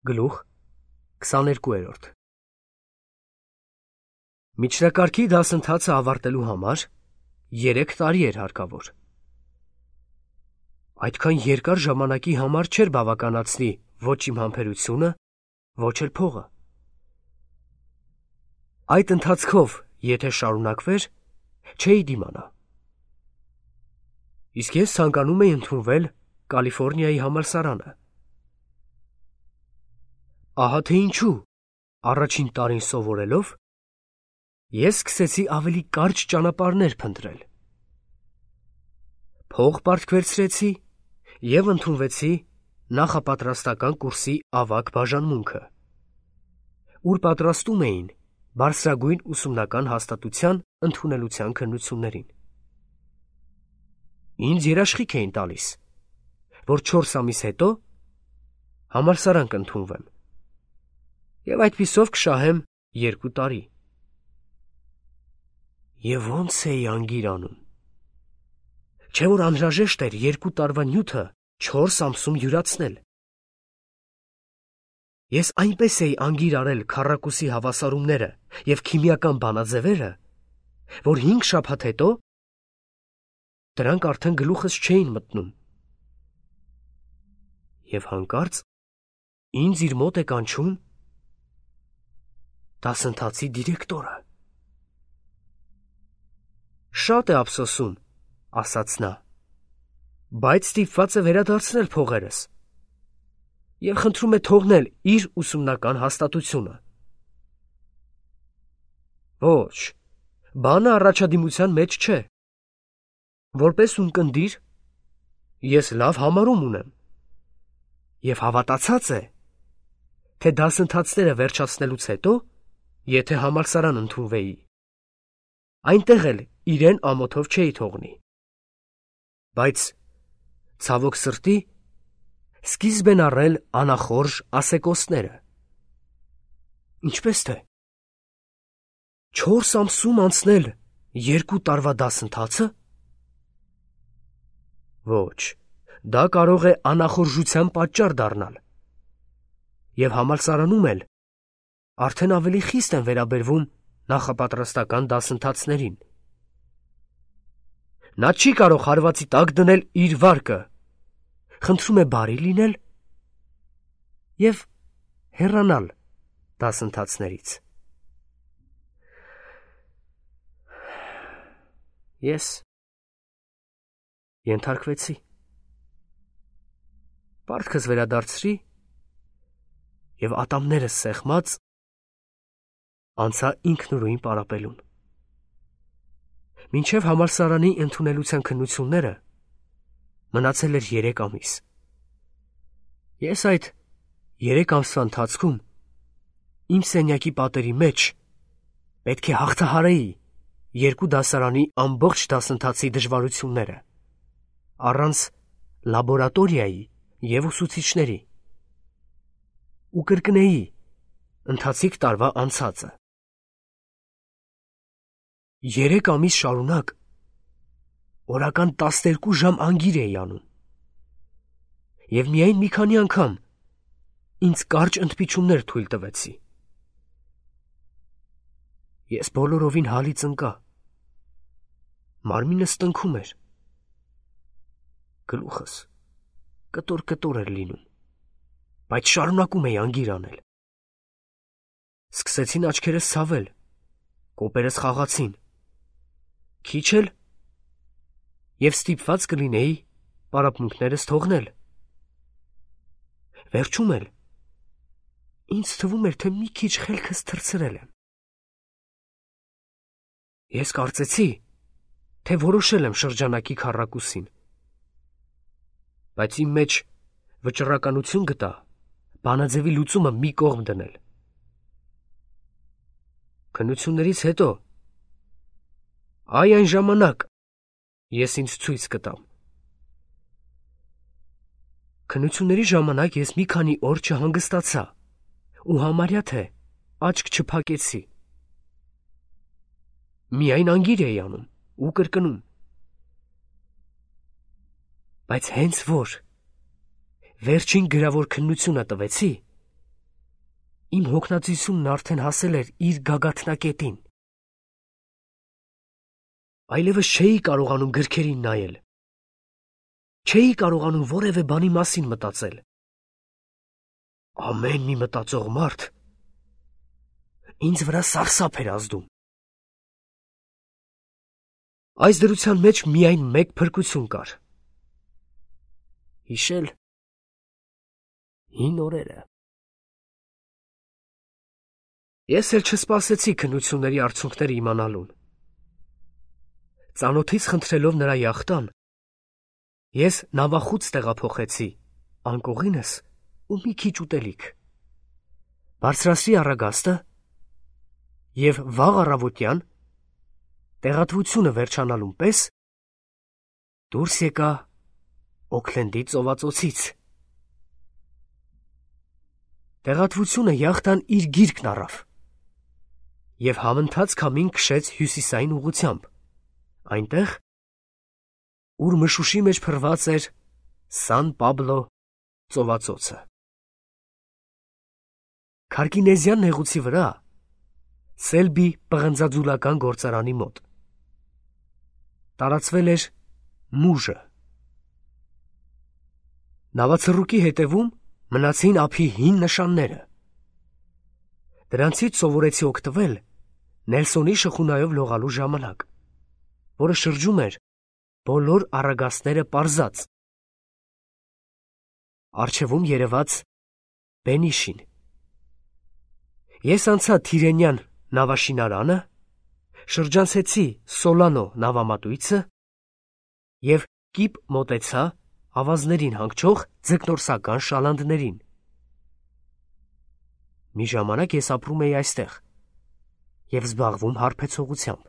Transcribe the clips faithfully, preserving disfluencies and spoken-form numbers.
Գլուխ քսաներկու։ Միջնակարգի դասընթացը ավարտելու համար երեք տարի էր հարկավոր։ Այդքան երկար ժամանակի համար չէր բավականացնի ոչ իմ համբերությունը, ոչ էլ փողը։ Այդ ընթացքով, եթե շարունակվեր, չէի դիմանա։ Իսկ ես ցանկանում էի ընդունվել Կալիֆոռնիայի համալսարանը։ Ահա թե ինչու առաջին տարին սովորելով ես սկսեցի ավելի կարճ ճանապարհներ փնտրել։ Փող պարտք վերցրեցի և ընդունվեցի նախապատրաստական կուրսի ավագ բաժանմունքը, ուր պատրաստում էին բարձրագույն ուսումնական հաստատության ընդունելության քննություններին։ Ինձ երաշխիք էին տալիս, որ չորս ամիս հետո համալսարան կընդունվեմ և այդպիսով կշահեմ երկու տարի։ Եվ ոնց էի անգիր անում, չէ՞ որ անհրաժեշտ էր երկու տարվա նյութը չորս ամսում յուրացնել։ Ես այնպես էի անգիր արել քառակուսի հավասարումները և քիմիական բանաձևերը, որ հինգ շաբաթ հետո դրանք արդեն գլուխս չէին մտնում։ Եվ հանկարծ ինձ իր մոտ է կանչում դասընթացի դիրեկտորը։ «Շատ է ափսոսում, — ասաց նա, — բայց ստիպված է վերադարձնել փողերս և խնդրում է թողնել իր ուսումնական հաստատությունը»։ Ոչ, բանը առաջադիմության մեջ չէ։ Որպես ունկնդիր ես լավ համարում ունեմ և հավատացած է, թե դասընթացները վերջացնելուց հետո, եթե համալսարան ընդունվեի, այնտեղ էլ իրեն ամոթով չէի թողնի։ Բայց, ցավոք սրտի, սկիզբ են առել անախորժ ասեկոսները։ Ինչպես թե, չորս ամսում անցնել երկու տարվա դասընթացը։ Ոչ, դա կարող է անախորժության պատճառ դառնալ, և համալսարանում էլ արդեն ավելի խիստ են վերաբերվում նախապատրաստական դասընթացներին։ Նա չի կարող հարվածի տակ դնել իր վարկը, խնդրում է բարի լինել և հեռանալ դասընթացներից։ Ես ենթարկվեցի։ Պարտքս վերադարձրի և ատամներս սեղմած անցա ինքնուրույն պարապելուն։ Մինչև համալսարանի ընդունելության քննությունները մնացել էր երեք ամիս։ Ես այդ երեք ամսվա ընթացքում իմ սենյակի պատերի մեջ պետք է հաղթահարեի երկու դասարանի ամբողջ դասընթացի դժվարությունները, առանց լաբորատորիայի և ուսուցիչների, ու կրկնեի ընթացիկ տարվա անցածը։ Երեք ամիս շարունակ օրական տասներկու ժամ անգիր էի անում և միայն մի քանի անգամ ինձ կարճ ընդմիջումներ թույլ տվեցի։ Ես բոլորովին հալից ընկա, մարմինս տնքում էր, գլուխս կտոր-կտոր էր լինում, բայց շարունակում էի անգիր անել։ Սկսեցին աչքերս ցավել, կոպերս խաղացին, քիչ էլ և ստիպված կլինեի պարապմունքներս թողնել։ Վերջում էլ ինձ թվում էր, թե մի քիչ խելքս թռցրել եմ։ Ես կարծեցի, թե որոշել եմ շրջանակի քառակուսին, բայց իմ մեջ վճռականություն գտա բանաձևի լուծումը մի կողմ դնել։ Քննություններից հետո, այ այն ժամանակ, ես ինձ ցույց կտամ։ Քննությունների ժամանակ ես մի քանի օր չհանգստացա ու համարյա թե աչք չփակեցի։ Միայն անգիր էի անում ու կրկնում։ Բայց հենց որ վերջին գրավոր քննությունը տվեցի, Իմ հոգնածությունն արդեն հասել էր իր գագաթնակետին։ Այլևս չէի կարողանում գրքերին նայել։ Չէի կարողանում որևէ բանի մասին մտածել։ Ամեն մի մտածող մարդ ինձ վրա սարսափ էր ազդում։ Այս դրության մեջ միայն մեկ փրկություն կար։ Հիշել հին օրերը։ Ես էլ չսպասեցի քննությունների արդյունքները իմանալուն։ Ծանոթից խնդրելով նրա յախտան, ես նավախուց տեղափոխեցի անկողինս ու մի քիչ ուտելիք։ Բարձրացրի առագաստը և վաղ առավոտյան, տեղատվությունը վերջանալուն պես, դուրս եկա Օքլենդի ծովածոցից։ Տեղատվությունը յախտան իր գիրկն առավ և համընթաց քամին քշեց հյուսիսային ուղղությամբ, այնտեղ, ուր մշուշի մեջ փռված էր Սան Պաբլո ծովածոցը։ Քարկինեզյան նեղուցի վրա, Սելբի պղնձաձուլական գործարանի մոտ, տարածվել էր մուժը։ Նավացռուկի հետևում մնացին ափի հին նշանները։ Դրանցից սովորեցի օգտվել Նելսոնի շխունայով լողալու ժամանակ, որը շրջում էր բոլոր առագաստները պարզած։ Առջևում երևաց Բենիշին։ Ես անցա Թիրենյան նավաշինարանը, շրջանցեցի Սոլանո նավամատույցը և կիպ մոտեցա ավազներին հանգչող ձկնորսական շալանդներին։ Մի ժամանակ ես ապրում էի այստեղ և զբաղվում հարբեցողությամբ։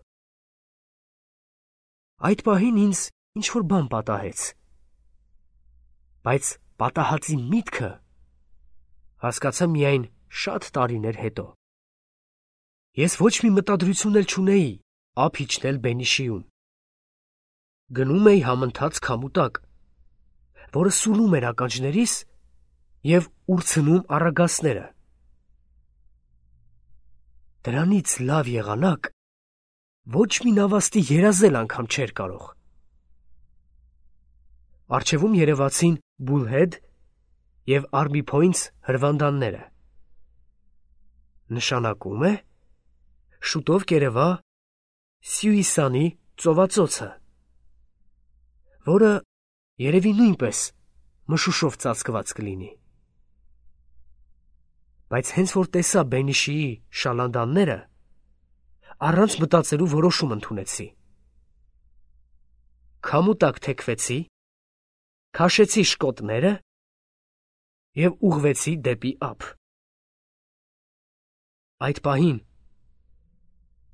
Այդ պահին ինձ ինչ-որ բան պատահեց, բայց պատահածի միտքը հասկացա միայն շատ տարիներ հետո։ Ես ոչ մի մտադրություն էլ չունեի ափ իջնել Բենիշիում։ Գնում էի համընթաց քամու տակ, որը սուլում էր ականջներիս և ուրցնում առագաստները։ Դրանից լավ եղանակ ոչ մի նավաստի երազել անգամ չէր կարող։ Առջևում երևացին Բուլհեդ և Արմի Փոյնթս հրվանդանները։ Նշանակում է շուտով կերևա Սյուիսանի ծովածոցը, որը երևի նույնպես մշուշով ծածկված կլինի։ Բայց հենց որ տեսա Բենիշիի շալանդանները, առանց մտածելու որոշում ընդունեցի։ Քամու տակ թեքվեցի, քաշեցի շկոտները և ուղղվեցի դեպի ափ։ Այդ պահին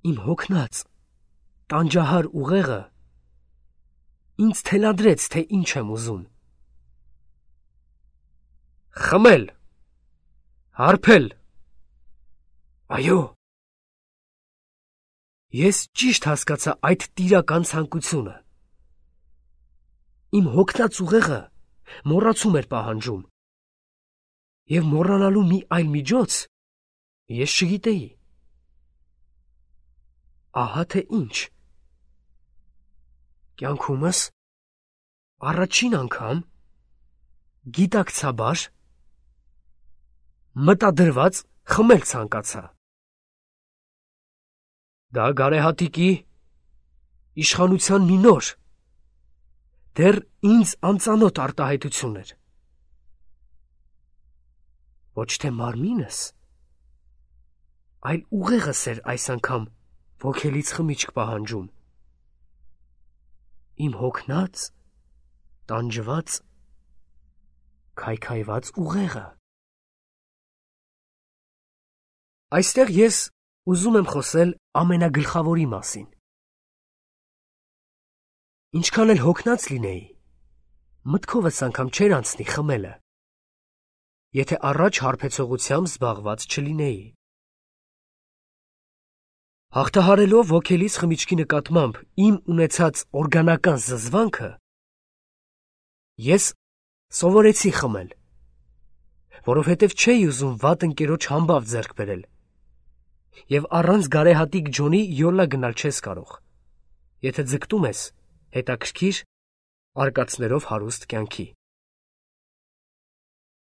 իմ հոգնած, տանջահար ուղեղը ինձ թելադրեց, թե ինչ եմ ուզում։ Խմել, հարբել, այո։ Ես ճիշտ հասկացա այդ տիրական ցանկությունը։ Իմ հոգնած ուղեղը մոռացում էր պահանջում, և մոռանալու մի այլ միջոց ես չգիտեի։ Ահա թե ինչ։ Կյանքումս առաջին անգամ գիտակցաբար մտադրված խմել ցանկացա։ Դա գարեհատիկի իշխանության մի նոր, դեռ ինձ անծանոթ արտահայտություն էր։ Ոչ թե մարմինս, այլ ուղեղս էր այս անգամ ոգելից խմիչք պահանջում։ Իմ հոգնած, տանջված, քայքայված ուղեղը։ Այստեղ ես ուզում եմ խոսել ամենագլխավորի մասին։ Ինչքան էլ հոգնած լինեի, մտքովս անգամ չէր անցնի խմելը, եթե առաջ հարբեցողությամբ զբաղված չլինեի։ Հաղթահարելով ոգելից խմիչքի նկատմամբ իմ ունեցած օրգանական զզվանքը, ես սովորեցի խմել, որովհետև չէի ուզում վատ ընկերոջ համբավ ձեռք բերել։ Եվ առանց գարեհատիկ Ջոնի յոլա գնալ չես կարող, եթե ձգտում ես հետաքրքիր արկածներով հարուստ կյանքի։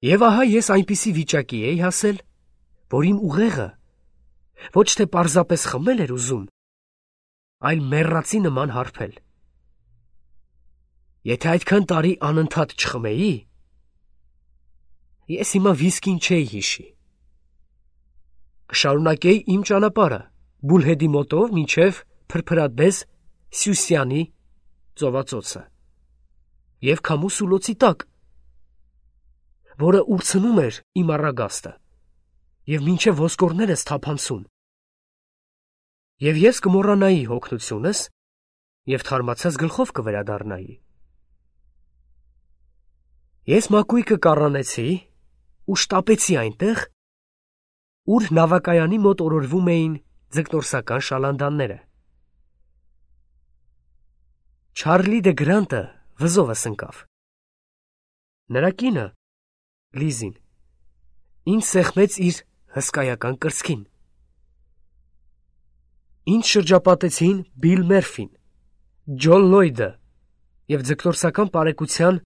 Եվ ահա ես այնպիսի վիճակի էի հասել, որ իմ ուղեղը ոչ թե պարզապես խմել էր ուզում, այլ մեռածի նման հարբել։ Եթե այդքան տարի անընդհատ չխմեի, ես հիմա վիսկին չէի հիշի։ Կշարունակեի իմ ճանապարհը Բուլհեդի մոտով մինչև փրփրադես Սյուսյանի ծովածոցը և քամու սուլոցի տակ, որը ուրցնում էր իմ առագաստը և մինչև ոսկորներս թափանցում։ Եվ ես կմոռանայի հոգնությունս և թարմացած գլխով կվերադառնայի։ Ես մակույկը կառանեցի ու շտապեցի այնտեղ, ուր նավակայանի մոտ օրորվում էին ձկնորսական շալանդանները։ Չարլի դե Գրանտը վզովս ընկավ։ Նրա կինը, Լիզին, ինձ սեղմեց իր հսկայական կրծքին։ Ինձ շրջապատեցին Բիլ Մերֆին, Ջոն Լոյդը և ձկնորսական պարեկության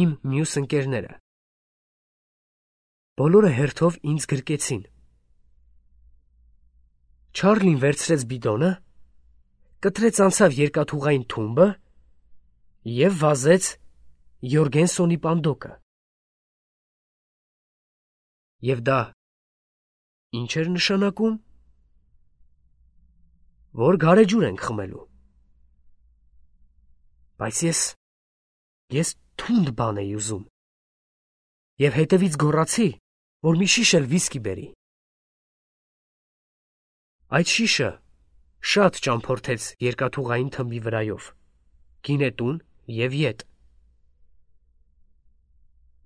իմ մյուս ընկերները։ Բոլորը հերթով ինձ գրկեցին։ Չարլին վերցրեց բիդոնը, կտրեց անցավ երկաթուղային թումբը և վազեց Յորգենսոնի պանդոկը։ Եվ դա ի՞նչ էր նշանակում, որ գարեջուր ենք խմելու։ Բայց ես, ես թունդ բան էի ուզում և հետևից գոռացի, որ մի շիշ էլ վիսկի բերի։ Այդ շիշը շատ ճամփորդեց երկաթուղային թմբի վրայով, գինետուն և ետ։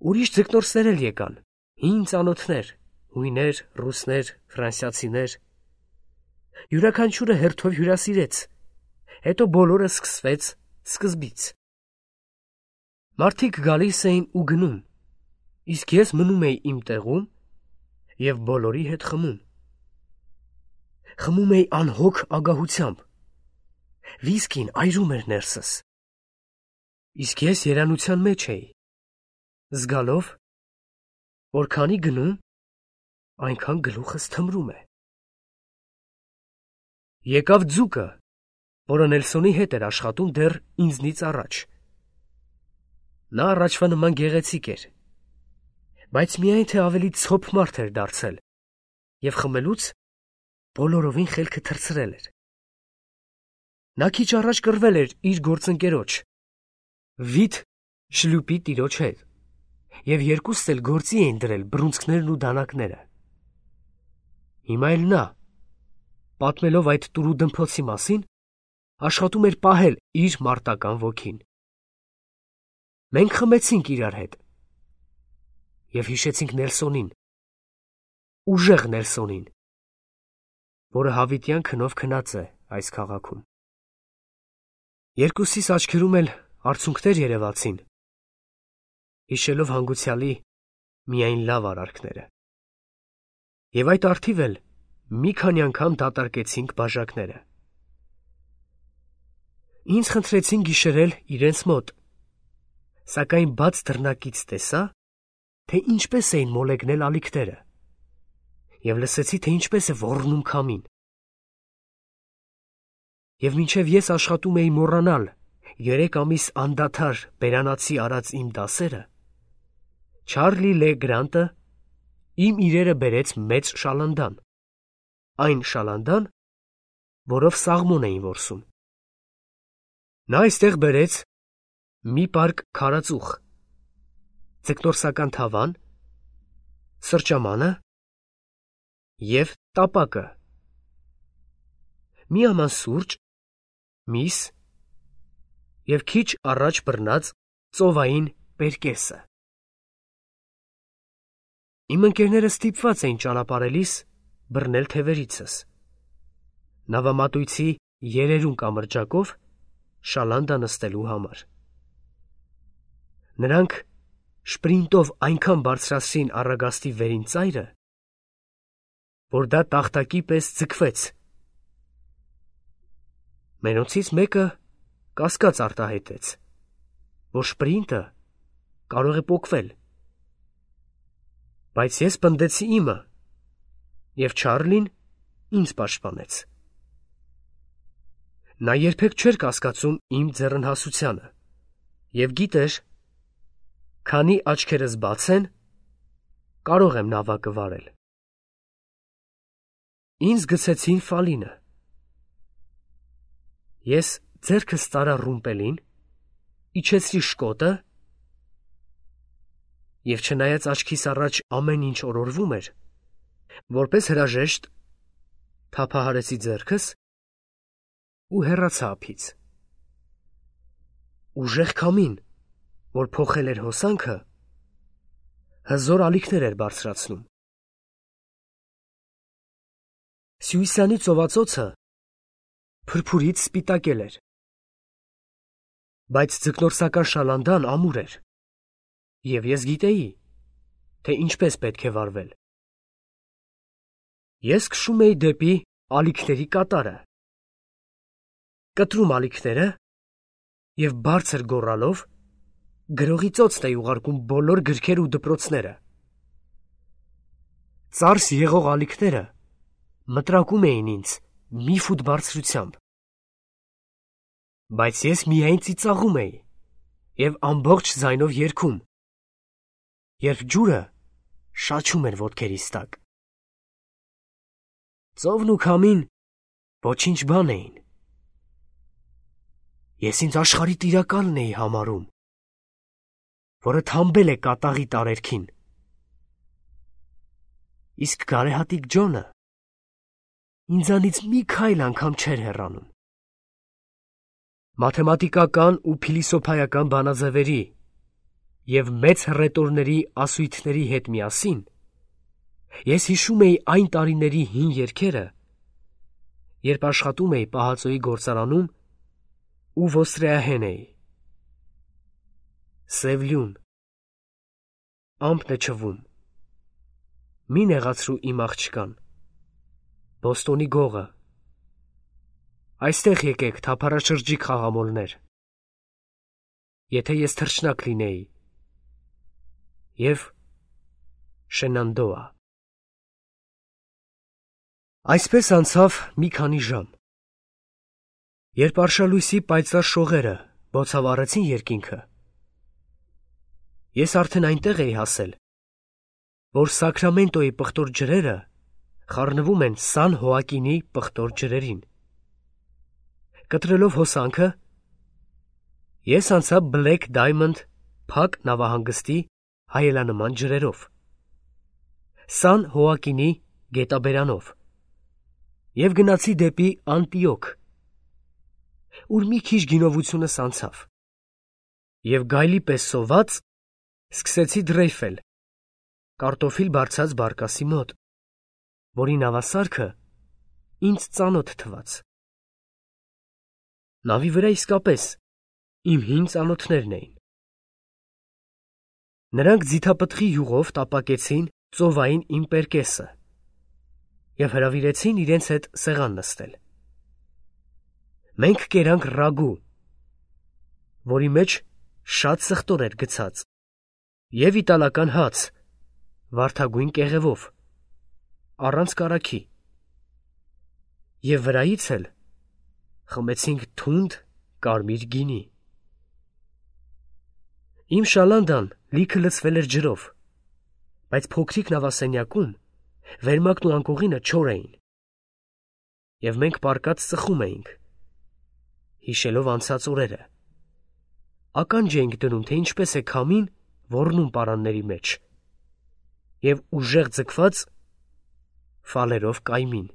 Ուրիշ ձկնորսներ էլ եկան, հին ծանոթներ, հույներ, ռուսներ, ֆրանսիացիներ։ Յուրաքանչյուրը հերթով հյուրասիրեց, հետո բոլորը սկսվեց սկզբից։ Մարդիկ գալիս էին ու գնում, իսկ ես մնում էի իմ տեղում և բոլորի հետ խմում։ Խմում էի անհոգ ագահությամբ, վիսկին այրում էր ներսս, իսկ ես երանության մեջ էի, զգալով, որ քանի գնում, այնքան գլուխս թմրում է։ Եկավ ձուկը, որը Նելսոնի հետ էր աշխատում դեռ ինձնից առաջ։ Նա առաջվա նման գեղեցիկ էր, բայց միայն թե ավելի ցոփ մարդ էր դարձել և խմելուց բոլորովին խելքը թռցրել էր։ Նա քիչ առաջ կռվել էր իր գործընկերոջ Վիտ Շլյուպի տիրոջ հետ և երկուսն էլ գործի էին դրել բռունցքներն ու դանակները։ Հիմա էլ նա, պատմելով այդ տուրուդմփոցի մասին, աշխատում էր պահել իր մարտական ոգին։ Մենք խմեցինք իրար հետ և հիշեցինք Նելսոնին, ուժեղ Նելսոնին, որը հավիտյան քնով քնած է այս քաղաքում։ Երկուսիս աչքերում էլ արցունքներ երևացին, հիշելով հանգուցյալի միայն լավ արարքները։ Եվ այդ առթիվ էլ մի քանի անգամ դատարկեցինք բաժակները։ Ինձ խնդրեցին գիշերել իրենց մոտ, սակայն բաց դռնակից տեսա, թե ինչպես էին մոլեգնել ալիքները, և լսեցի, թե ինչպես է ոռնում քամին։ Եվ մինչև ես աշխատում էի մոռանալ երեք ամիս անդադար բերանացի արած իմ դասերը, Չարլի Լե Գրանտը իմ իրերը բերեց մեծ շալանդան, այն շալանդան, որով սաղմոն էին որսում։ Նա այստեղ բերեց մի պարկ քարածուխ, ձկնորսական թավան, սրճամանը և տապակը, մի աման սուրճ, միս և քիչ առաջ բռնած ծովային պերկեսը։ Իմ ընկերները ստիպված էին ճանապարհելիս բռնել թևերիցս, նավամատույցի երերուն կամրջակով շալանդա նստելու համար։ Նրանք շպրինտով այնքան բարձրացրին առագաստի վերին ծայրը, որ դա տախտակի պես ձգվեց։ Մենոցից մեկը կասկած արտահայտեց, որ շպրինտը կարող է պոկվել, բայց ես պնդեցի իմը, և Չարլին ինձ պաշտպանեց։ Նա երբեք չէր կասկածում իմ ձեռնհասությանը և գիտեր, քանի աչքերս բաց են, կարող եմ նավակը վարել։ Ինձ գցեցին ֆալինը։ Ես ձեռքս տարա ռումպելին, իջեցրի շկոտը և չնայած աչքիս առաջ ամեն ինչ օրորվում էր, որպես հրաժեշտ թափահարեցի ձեռքս ու հեռացա ափից։ Ուժեղ քամին, որ փոխել էր հոսանքը, հզոր ալիքներ էր բարձրացնում։ Սյուիսանի ծովածոցը փրփուրից սպիտակել էր, բայց ձկնորսական շալանդան ամուր էր, և ես գիտեի, թե ինչպես պետք է վարվել։ Ես քշում էի դեպի ալիքների կատարը, կտրում ալիքները և բարձր գոռալով գրողի ծոցն էի ուղարկում բոլոր գրքեր ու դպրոցները։ Ծարս եղող ալիքները մտրակում էին ինձ մի ֆուտ բարձրությամբ, բայց ես միայն ծիծաղում էի և ամբողջ ձայնով երգում, երբ ջուրը շաչում էր ոտքերիս տակ։ Ծովն ու քամին ոչինչ բան էին։ Ես ինձ աշխարհի տիրակալն էի համարում, որը թամբել է կատաղի տարերքին, իսկ գարեհատիկ Ջոնը ինձանից մի քայլ անգամ չէր հեռանում։ Մաթեմատիկական ու փիլիսոփայական բանաձևերի և մեծ հռետորների ասույթների հետ միասին ես հիշում էի այն տարիների հին երգերը, երբ աշխատում էի պահածոյի գործարանում ու ոստրեահեն էի։ Սև լյուն, ամպն է չվում, մի նեղացրու իմ աղջկան, Բոստոնի գողը, այստեղ եկեք թափառաշրջիկ խաղամոլներ, եթե ես թռչնակ լինեի, և Շենանդոա։ Այսպես անցավ մի քանի ժամ։ Երբ արշալույսի պայծառ շողերը բոցավառեցին երկինքը, ես արդեն այնտեղ էի հասել, որ Սակրամենտոյի պղտոր ջրերը խառնվում են Սան Հոակինի պղտոր ջրերին։ Կտրելով հոսանքը, ես անցա Բլեք Դայմոնդ փակ նավահանգստի հայելանման ջրերով, Սան Հոակինի գետաբերանով և գնացի դեպի Անտիոք, ուր մի քիչ գինովությունս անցավ, և գայլի պես սոված սկսեցի դրեյֆել կարտոֆիլ բարձած բարկասի մոտ, որի նավասարքը ինձ ծանոթ թվաց։ Նավի վրա իսկապես իմ հին ծանոթներն էին։ Նրանք ձիթապտղի յուղով տապակեցին ծովային իմ պերկեսը և հրավիրեցին իրենց հետ սեղան նստել։ Մենք կերանք ռագու, որի մեջ շատ սխտոր էր գցած, և իտալական հաց վարդագույն կեղևով, առանց կարագի, և վրայից էլ խմեցինք թունդ կարմիր գինի։ Իմ շալանդան լիքը լցվել էր ջրով, բայց փոքրիկ նավասենյակում վերմակն ու անկողինը չոր էին, և մենք պառկած ծխում էինք, հիշելով անցած օրերը, ականջ էինք դնում, թե ինչպես է քամին ոռնում պարանների մեջ և ուժեղ ձգված ֆալերով կայմին։